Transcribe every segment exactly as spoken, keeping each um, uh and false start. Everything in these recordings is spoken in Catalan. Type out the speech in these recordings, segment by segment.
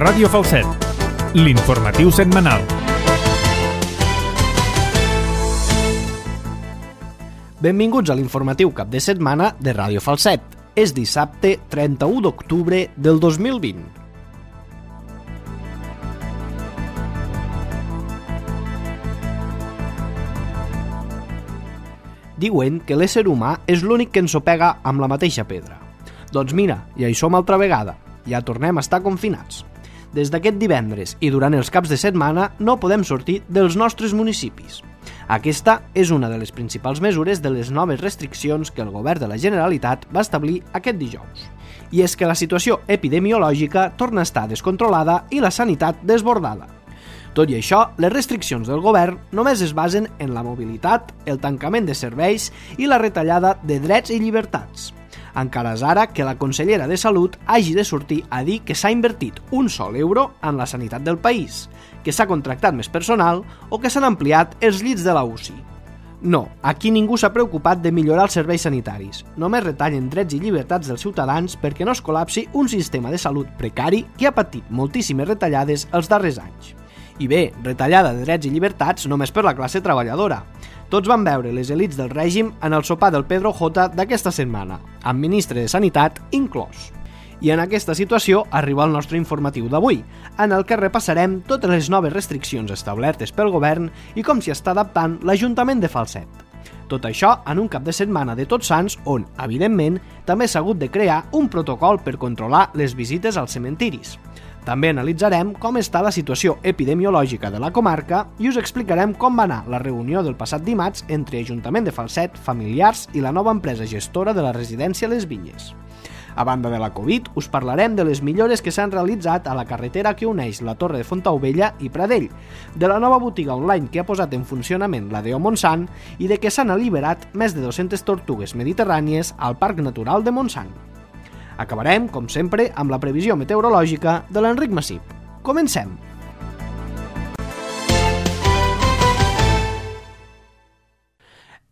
Ràdio Falset, l'informatiu setmanal. Benvinguts a l'informatiu cap de setmana de Ràdio Falset. És dissabte trenta-u d'octubre del dos mil vint. Diuen que l'ésser humà és l'únic que ensopega amb la mateixa pedra. Doncs mira, ja hi som altra vegada. Ja tornem a estar confinats. Des d'aquest divendres i durant els caps de setmana no podem sortir dels nostres municipis. Aquesta és una de les principals mesures de les noves restriccions que el govern de la Generalitat va establir aquest dijous. I és que la situació epidemiològica torna a estar descontrolada i la sanitat desbordada. Tot i això, les restriccions del govern només es basen en la mobilitat, el tancament de serveis i la retallada de drets i llibertats. Encara és ara que la consellera de Salut hagi de sortir a dir que s'ha invertit un sol euro en la sanitat del país, que s'ha contractat més personal o que s'han ampliat els llits de la U C I. No, aquí ningú s'ha preocupat de millorar els serveis sanitaris. Només retallen drets i llibertats dels ciutadans perquè no es col·lapsi un sistema de salut precari que ha patit moltíssimes retallades els darrers anys. I bé, retallada de drets i llibertats només per la classe treballadora. Tots van veure les elits del règim en el sopar del Pedro J d'aquesta setmana, amb ministre de Sanitat inclòs. I en aquesta situació arriba el nostre informatiu d'avui, en el que repassarem totes les noves restriccions establertes pel govern i com s'hi està adaptant l'Ajuntament de Falset. Tot això en un cap de setmana de Tots Sants on, evidentment, també s'ha hagut de crear un protocol per controlar les visites als cementiris. També analitzarem com està la situació epidemiològica de la comarca i us explicarem com va anar la reunió del passat dimarts entre Ajuntament de Falset, familiars i la nova empresa gestora de la residència Les Vinyes. A banda de la Covid, us parlarem de les millores que s'han realitzat a la carretera que uneix la Torre de Fontaubella i Pradell, de la nova botiga online que ha posat en funcionament la Deo Montsant i de que s'han alliberat més de dues-centes tortugues mediterrànies al Parc Natural de Montsant. Acabarem, com sempre, amb la previsió meteorològica de l'Enric Massip. Comencem!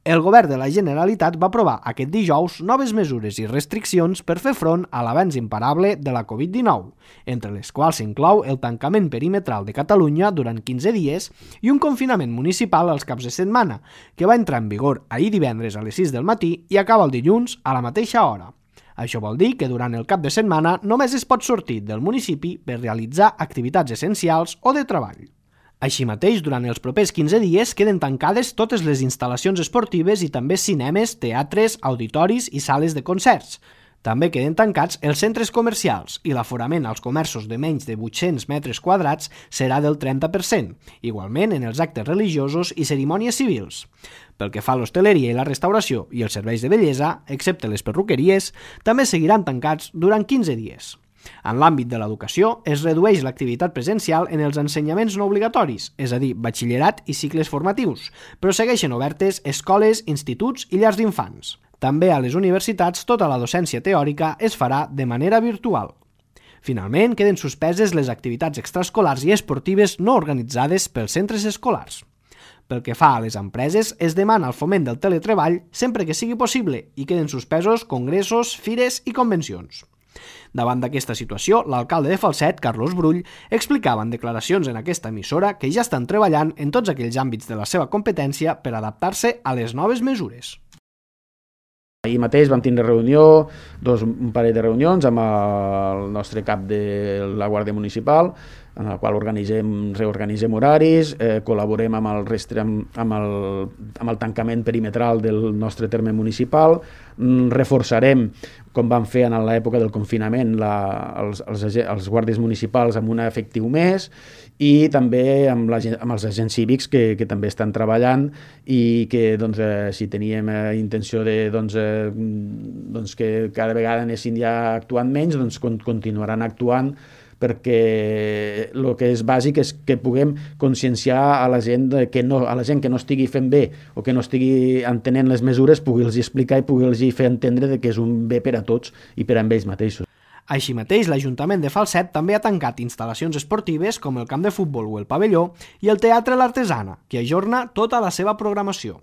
El govern de la Generalitat va aprovar aquest dijous noves mesures i restriccions per fer front a l'avanç imparable de la Covid dinou, entre les quals s'inclou el tancament perimetral de Catalunya durant quinze dies i un confinament municipal als caps de setmana, que va entrar en vigor ahir divendres a les sis del matí i acaba el dilluns a la mateixa hora. Això vol dir que durant el cap de setmana només es pot sortir del municipi per realitzar activitats essencials o de treball. Així mateix, durant els propers quinze dies queden tancades totes les instal·lacions esportives i també cinemes, teatres, auditoris i sales de concerts. També queden tancats els centres comercials i l'aforament als comerços de menys de vuit-cents metres quadrats serà del trenta per cent, igualment en els actes religiosos i cerimònies civils. Pel que fa a l'hostaleria i la restauració i els serveis de bellesa, excepte les perruqueries, també seguiran tancats durant quinze dies. En l'àmbit de l'educació, es redueix l'activitat presencial en els ensenyaments no obligatoris, és a dir, batxillerat i cicles formatius, però segueixen obertes escoles, instituts i llars d'infants. També a les universitats tota la docència teòrica es farà de manera virtual. Finalment, queden suspeses les activitats extraescolars i esportives no organitzades pels centres escolars. Pel que fa a les empreses, es demana el foment del teletreball sempre que sigui possible i queden suspesos congressos, fires i convencions. Davant d'aquesta situació, l'alcalde de Falset, Carlos Brull, explicava en declaracions en aquesta emissora que ja estan treballant en tots aquells àmbits de la seva competència per adaptar-se a les noves mesures. Ahir mateix vam tindre reunió, dos, un parell de reunions amb el nostre cap de la Guàrdia Municipal, en la qual organitzem, reorganitzem horaris, eh, col·laborem amb el, restre, amb, amb, el, amb el tancament perimetral del nostre terme municipal, mm, reforçarem, com vam fer en l'època del confinament, la, els, els, els guàrdies municipals amb un efectiu més, i també amb, la, amb els agents cívics que, que també estan treballant i que doncs, eh, si teníem eh, intenció de doncs, eh, doncs que cada vegada anessin ja actuant menys, doncs continuaran actuant, perquè el que és bàsic és que puguem conscienciar a la gent que no, a la gent que no estigui fent bé o que no estigui entenent les mesures, pugui-los explicar i pugui-los fer entendre que és un bé per a tots i per a ells mateixos. Així mateix, l'Ajuntament de Falset també ha tancat instal·lacions esportives com el camp de futbol o el pavelló i el Teatre L'Artesana, que ajorna tota la seva programació.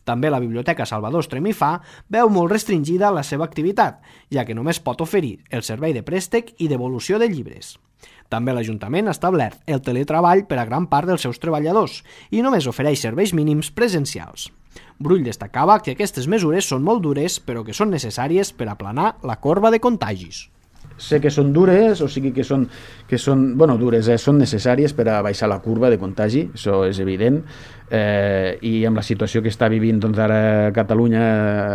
També la Biblioteca Salvador Estremifà veu molt restringida la seva activitat, ja que només pot oferir el servei de préstec i devolució de llibres. També l'Ajuntament ha establert el teletreball per a gran part dels seus treballadors i només ofereix serveis mínims presencials. Brull destacava que aquestes mesures són molt dures però que són necessàries per aplanar la corba de contagis. Sé que són dures, o sigui que són, que són bueno, dures, eh? Són necessàries per a baixar la curva de contagi, això és evident, eh, i amb la situació que està vivint doncs, ara Catalunya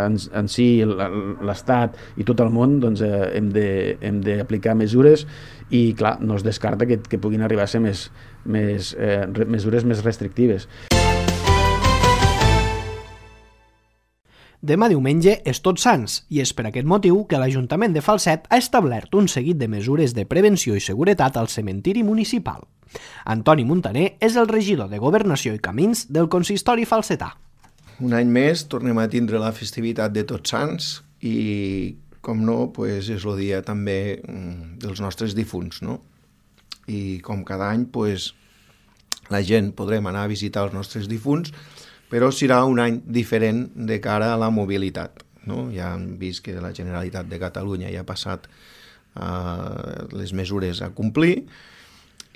en, en si, l'Estat i tot el món, doncs, eh, hem de, hem d'aplicar mesures i clar, no es descarta que, que puguin arribar a ser més, més, eh, mesures més restrictives. Demà diumenge és Tots Sants i és per aquest motiu que l'Ajuntament de Falset ha establert un seguit de mesures de prevenció i seguretat al cementiri municipal. Antoni Muntaner és el regidor de Governació i Camins del consistori falsetà. Un any més tornem a tindre la festivitat de Tots Sants i, com no, pues és el dia també dels nostres difunts, no? I com cada any, pues, la gent podrem anar a visitar els nostres difunts, però serà un any diferent de cara a la mobilitat, no? Ja hem vist que la Generalitat de Catalunya ja ha passat uh, les mesures a complir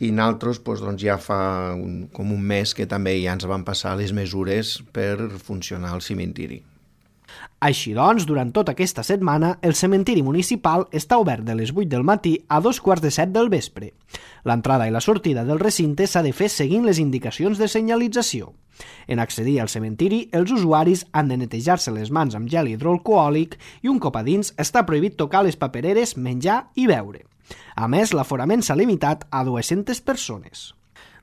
i nosaltres pues, doncs, ja fa un, com un mes que també ja ens van passar les mesures per funcionar al cementiri. Així doncs, durant tota aquesta setmana, el cementiri municipal està obert de les vuit del matí a dos quarts de set del vespre. L'entrada i la sortida del recinte s'ha de fer seguint les indicacions de senyalització. En accedir al cementiri, els usuaris han de netejar-se les mans amb gel hidroalcohòlic i un cop a dins està prohibit tocar les papereres, menjar i beure. A més, l'aforament s'ha limitat a dues-centes persones.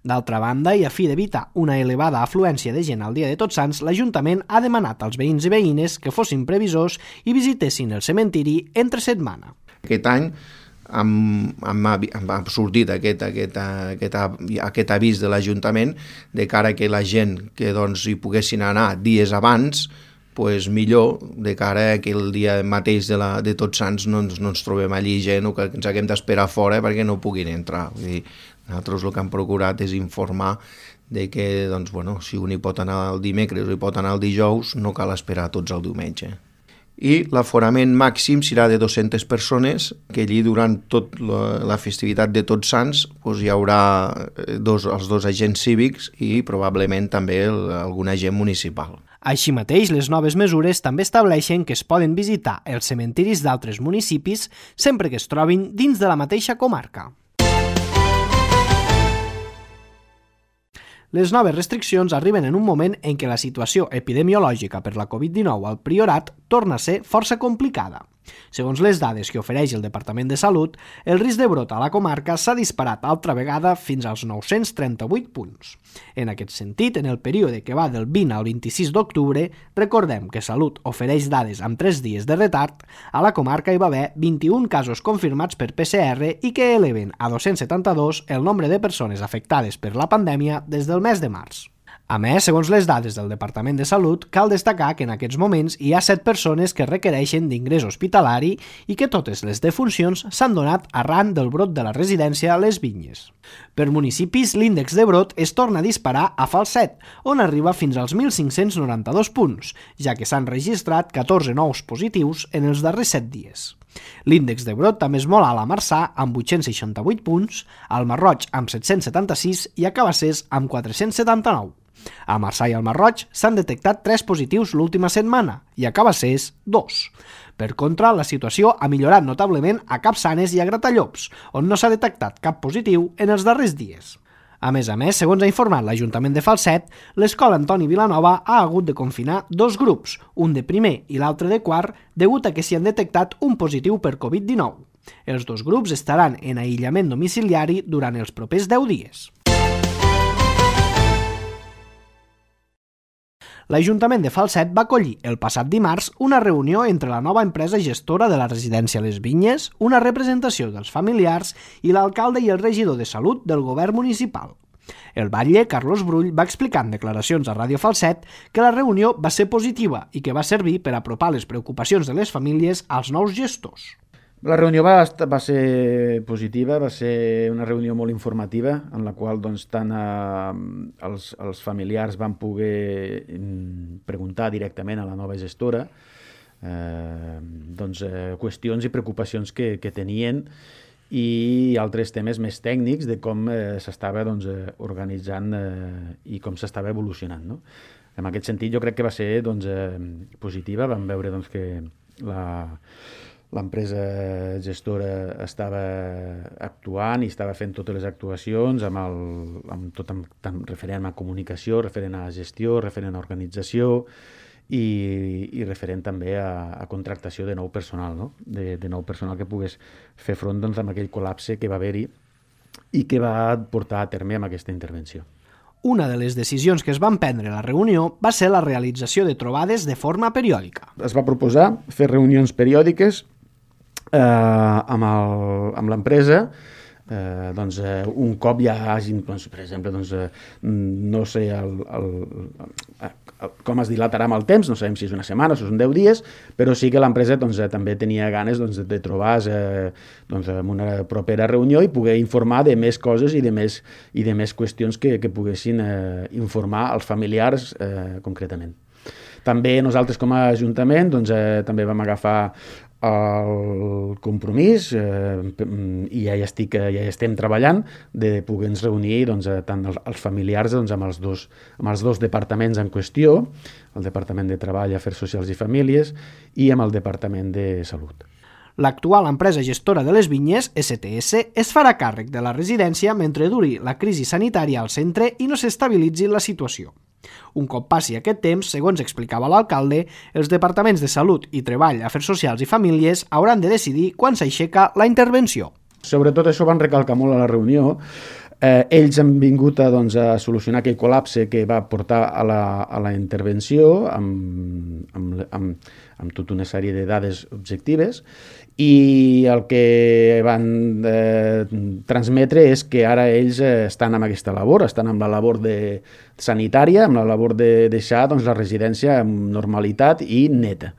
D'altra banda, i a fi d'evitar una elevada afluència de gent al dia de Tots Sants, l'Ajuntament ha demanat als veïns i veïnes que fossin previsors i visitessin el cementiri entre setmana. Aquest any hem, hem, hem sortit aquest, aquest, aquest, aquest avís de l'Ajuntament de cara que la gent que doncs, hi poguessin anar dies abans, pues millor, de cara que el dia mateix de, la, de Tots Sants no ens, no ens trobem allí gent o que ens haguem d'esperar fora perquè no puguin entrar. Vull dir, nosaltres el que hem procurat és informar de que doncs, bueno, si un hi pot anar el dimecres o hi pot anar el dijous, no cal esperar tots el diumenge. I l'aforament màxim serà de dues-centes persones, que allí durant tota la, la festivitat de Tots Sants doncs, hi haurà dos, els dos agents cívics i probablement també el, algun agent municipal. Així mateix, les noves mesures també estableixen que es poden visitar els cementiris d'altres municipis sempre que es trobin dins de la mateixa comarca. Les noves restriccions arriben en un moment en què la situació epidemiològica per la covid dinou al Priorat torna a ser força complicada. Segons les dades que ofereix el Departament de Salut, el risc de brot a la comarca s'ha disparat altra vegada fins als nou-cents trenta-vuit punts. En aquest sentit, en el període que va del vint al vint-i-sis d'octubre, recordem que Salut ofereix dades amb tres dies de retard, a la comarca hi va haver vint-i-un casos confirmats per P C R i que eleven a dos-cents setanta-dos el nombre de persones afectades per la pandèmia des del mes de març. A més, segons les dades del Departament de Salut, cal destacar que en aquests moments hi ha set persones que requereixen d'ingrés hospitalari i que totes les defuncions s'han donat arran del brot de la residència a les Vinyes. Per municipis, l'índex de brot es torna a disparar a Falset, on arriba fins als mil cinc-cents noranta-dos punts, ja que s'han registrat catorze nous positius en els darrers set dies. L'índex de brot també és molt alt a Marçà, amb vuit-cents seixanta-vuit punts, al Masroig amb set-cents setanta-sis i a Cabassers amb quatre-cents setanta-nou. A Marçà i al Masroig s'han detectat tres positius l'última setmana i a Cabassers, dos. Per contra, la situació ha millorat notablement a Capçanes i a Gratallops, on no s'ha detectat cap positiu en els darrers dies. A més a més, segons ha informat l'Ajuntament de Falset, l'escola Antoni Vilanova ha hagut de confinar dos grups, un de primer i l'altre de quart, degut a que s'hi han detectat un positiu per covid dinou. Els dos grups estaran en aïllament domiciliari durant els propers deu dies. L'Ajuntament de Falset va acollir el passat dimarts una reunió entre la nova empresa gestora de la residència Les Vinyes, una representació dels familiars i l'alcalde i el regidor de Salut del govern municipal. El batlle, Carlos Brull, va explicar en declaracions a Ràdio Falset que la reunió va ser positiva i que va servir per apropar les preocupacions de les famílies als nous gestors. La reunió va, va ser positiva, va ser una reunió molt informativa, en la qual doncs, tant eh, els, els familiars van poder preguntar directament a la nova gestora eh, doncs, eh, qüestions i preocupacions que, que tenien i altres temes més tècnics de com eh, s'estava doncs, eh, organitzant eh, i com s'estava evolucionant. No? En aquest sentit, jo crec que va ser doncs, eh, positiva. Vam veure doncs, que la, l'empresa gestora estava actuant i estava fent totes les actuacions amb, el, amb tot amb, tant referent a comunicació, referent a gestió, referent a organització, I, i referent també a, a contractació de nou personal, no? de, de nou personal que pogués fer front doncs, amb aquell col·lapse que va haver-hi i que va portar a terme amb aquesta intervenció. Una de les decisions que es van prendre a la reunió va ser la realització de trobades de forma periòdica. Es va proposar fer reunions periòdiques eh, amb, el, amb l'empresa. Eh, doncs, eh, un cop ja hagin, doncs, per exemple, doncs, eh, no sé el, el, el, el, com es dilatarà amb el temps, no sabem si és una setmana o si són deu dies, però sí que l'empresa doncs, eh, també tenia ganes doncs, de trobar eh, doncs, en una propera reunió i poder informar de més coses i de més, i de més qüestions que, que poguessin eh, informar als familiars eh, concretament. També nosaltres com a Ajuntament doncs, eh, també vam agafar el compromís eh, i ja hi, estic, ja hi estem treballant de poder-nos reunir doncs, tant els familiars doncs, amb, els dos, amb els dos departaments en qüestió, el Departament de Treball, Afers Socials i Famílies i amb el Departament de Salut. L'actual empresa gestora de les vinyes, S T S, es farà càrrec de la residència mentre duri la crisi sanitària al centre i no s'estabilitzi la situació. Un cop passi aquest temps, segons explicava l'alcalde, els departaments de Salut i Treball, Afers Socials i Famílies hauran de decidir quan s'aixeca la intervenció. Sobretot això van recalcar molt a la reunió. Eh, ells han vingut a, doncs, a solucionar aquell col·lapse que va portar a la, a la intervenció amb, amb, amb, amb tota una sèrie de dades objectives i el que van eh, transmetre és que ara ells eh, estan amb aquesta labor, estan amb la labor de sanitària, amb la labor de deixar doncs, la residència amb normalitat i neta.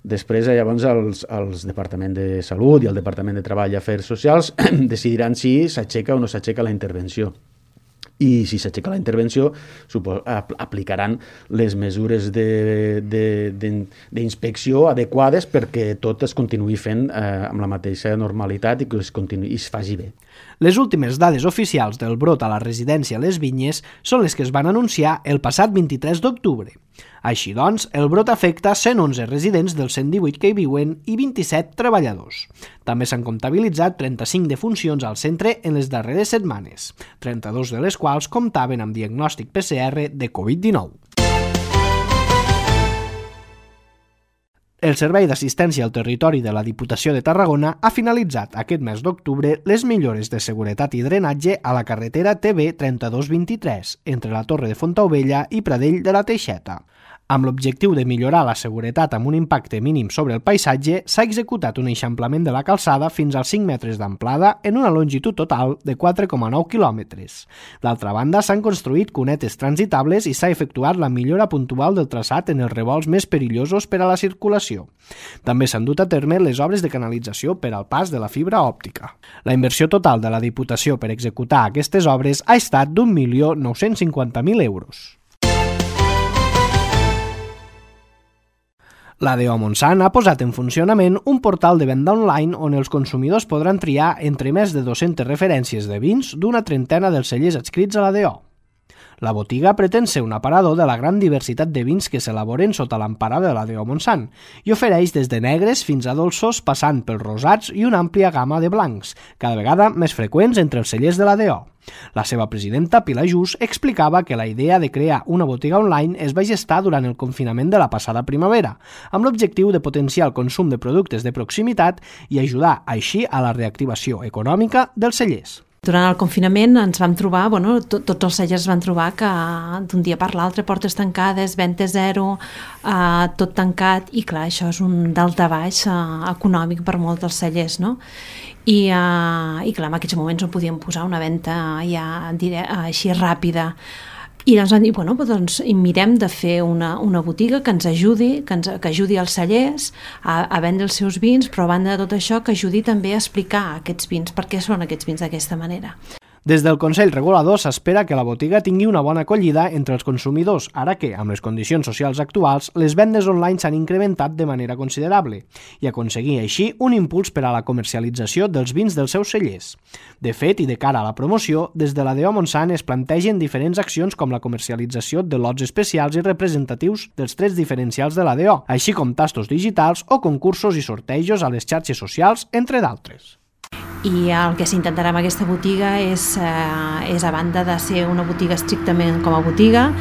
Després, llavors, els, els Departaments de Salut i el Departament de Treball i Afers Socials decidiran si s'aixeca o no s'aixeca la intervenció. I si s'aixeca la intervenció, aplicaran les mesures d'inspecció adequades perquè tot es continuï fent eh, amb la mateixa normalitat i que es, continuï, i es faci bé. Les últimes dades oficials del brot a la residència Les Vinyes són les que es van anunciar el passat vint-i-tres d'octubre. Així doncs, el brot afecta cent onze residents dels cent divuit que hi viuen i vint-i-set treballadors. També s'han comptabilitzat trenta-cinc defuncions al centre en les darreres setmanes, trenta-dos de les quals comptaven amb diagnòstic P C R de covid dinou. El Servei d'Assistència al Territori de la Diputació de Tarragona ha finalitzat aquest mes d'octubre les millores de seguretat i drenatge a la carretera T B trenta-dos vint-i-tres entre la Torre de Fontaubella i Pradell de la Teixeta. Amb l'objectiu de millorar la seguretat amb un impacte mínim sobre el paisatge, s'ha executat un eixamplament de la calçada fins als cinc metres d'amplada en una longitud total de quatre coma nou quilòmetres. D'altra banda, s'han construït cunetes transitables i s'ha efectuat la millora puntual del traçat en els revolts més perillosos per a la circulació. També s'han dut a terme les obres de canalització per al pas de la fibra òptica. La inversió total de la Diputació per executar aquestes obres ha estat d'un milió nou-cents cinquanta mil euros. La D O Montsant ha posat en funcionament un portal de venda online on els consumidors podran triar entre més de dues-centes referències de vins d'una trentena dels cellers adscrits a la D O. La botiga pretén ser un aparador de la gran diversitat de vins que s'elaboren sota l'empara de la D O Montsant i ofereix des de negres fins a dolços passant pels rosats i una àmplia gamma de blancs, cada vegada més freqüents entre els cellers de la D O. La seva presidenta, Pilar Just, explicava que la idea de crear una botiga online es va gestar durant el confinament de la passada primavera, amb l'objectiu de potenciar el consum de productes de proximitat i ajudar així a la reactivació econòmica dels cellers. Durant el confinament ens vam trobar, bueno, tot, tots els cellers van trobar que d'un dia per l'altre portes tancades, venda zero, eh, tot tancat, i clar, això és un daltabaix eh, econòmic per molts dels cellers, no? I, eh, i clar, en aquests moments no podíem posar una venda ja diré, així ràpida. I llavors van dir, bueno, doncs mirem de fer una, una botiga que ens ajudi, que, ens, que ajudi als cellers a, a vendre els seus vins, però a banda de tot això que ajudi també a explicar aquests vins, per què són aquests vins d'aquesta manera. Des del Consell Regulador s'espera que la botiga tingui una bona acollida entre els consumidors, ara que, amb les condicions socials actuals, les vendes online s'han incrementat de manera considerable i aconseguir així un impuls per a la comercialització dels vins dels seus cellers. De fet, i de cara a la promoció, des de la D O Montsant es plantegen diferents accions com la comercialització de lots especials i representatius dels trets diferencials de la D O, així com tastos digitals o concursos i sortejos a les xarxes socials, entre d'altres. I el que s'intentarà amb aquesta botiga és, eh, és a banda de ser una botiga estrictament com a botiga,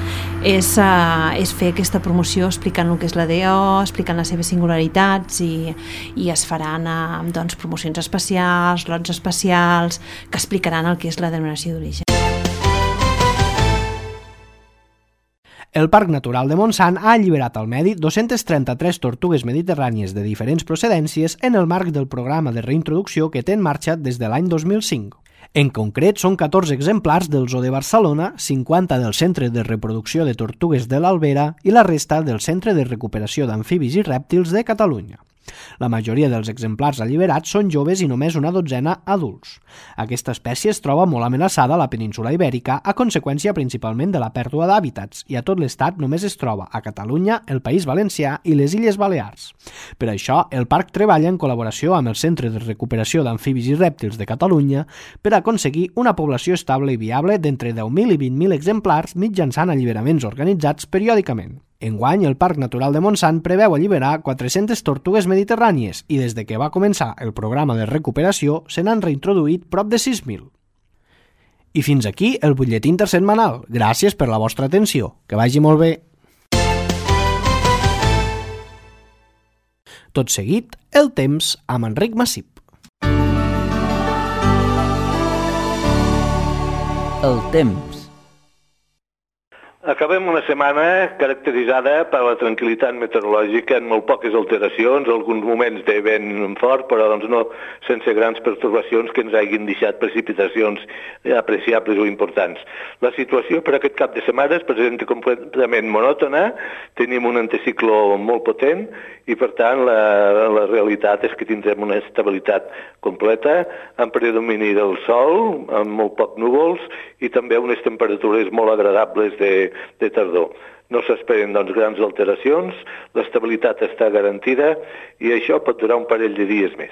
és, eh, és fer aquesta promoció explicant el que és la D O, explicant les seves singularitats i, i es faran eh, doncs, promocions especials, lots especials que explicaran el que és la denominació d'origen. El Parc Natural de Montsant ha alliberat al medi dos-centes trenta-tres tortugues mediterrànies de diferents procedències en el marc del programa de reintroducció que té en marxa des de l'any dos mil cinc. En concret, són catorze exemplars del Zoo de Barcelona, cinquanta del Centre de Reproducció de Tortugues de l'Albera i la resta del Centre de Recuperació d'Amfibis i Rèptils de Catalunya. La majoria dels exemplars alliberats són joves i només una dotzena adults. Aquesta espècie es troba molt amenaçada a la península Ibèrica a conseqüència principalment de la pèrdua d'hàbitats i a tot l'estat només es troba a Catalunya, el País Valencià i les Illes Balears. Per això, el parc treballa en col·laboració amb el Centre de Recuperació d'Amfibis i Rèptils de Catalunya per aconseguir una població estable i viable d'entre deu mil i vint mil exemplars mitjançant alliberaments organitzats periòdicament. Enguany, el Parc Natural de Montsant preveu alliberar quatre-centes tortugues mediterrànies i des de que va començar el programa de recuperació se n'han reintroduït prop de sis mil. I fins aquí el butlletí intersetmanal. Gràcies per la vostra atenció. Que vagi molt bé. Tot seguit, el temps amb Enric Massip. El temps. Acabem una setmana caracteritzada per la tranquil·litat meteorològica amb molt poques alteracions, alguns moments de vent fort, però doncs no sense grans pertorbacions que ens hagin deixat precipitacions apreciables o importants. La situació per aquest cap de setmana es presenta completament monòtona, tenim un anticicló molt potent i per tant la, la realitat és que tindrem una estabilitat completa amb predomini del sol, amb molt poc núvols i també unes temperatures molt agradables de de tardor. No s'esperen doncs, grans alteracions, l'estabilitat està garantida i això pot durar un parell de dies més.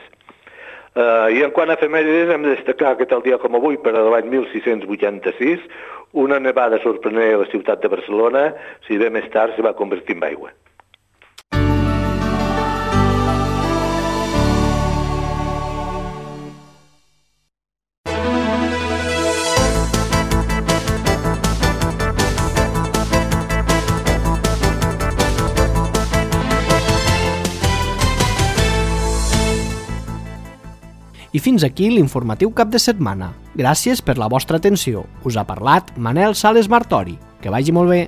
Uh, I en quant a efemèrides hem de destacar que tal dia com avui, per a l'any mil sis-cents vuitanta-sis, una nevada sorprenent a la ciutat de Barcelona, si bé més tard se va convertir en aigua. I fins aquí l'informatiu cap de setmana. Gràcies per la vostra atenció. Us ha parlat Manel Sales Martori. Que vagi molt bé.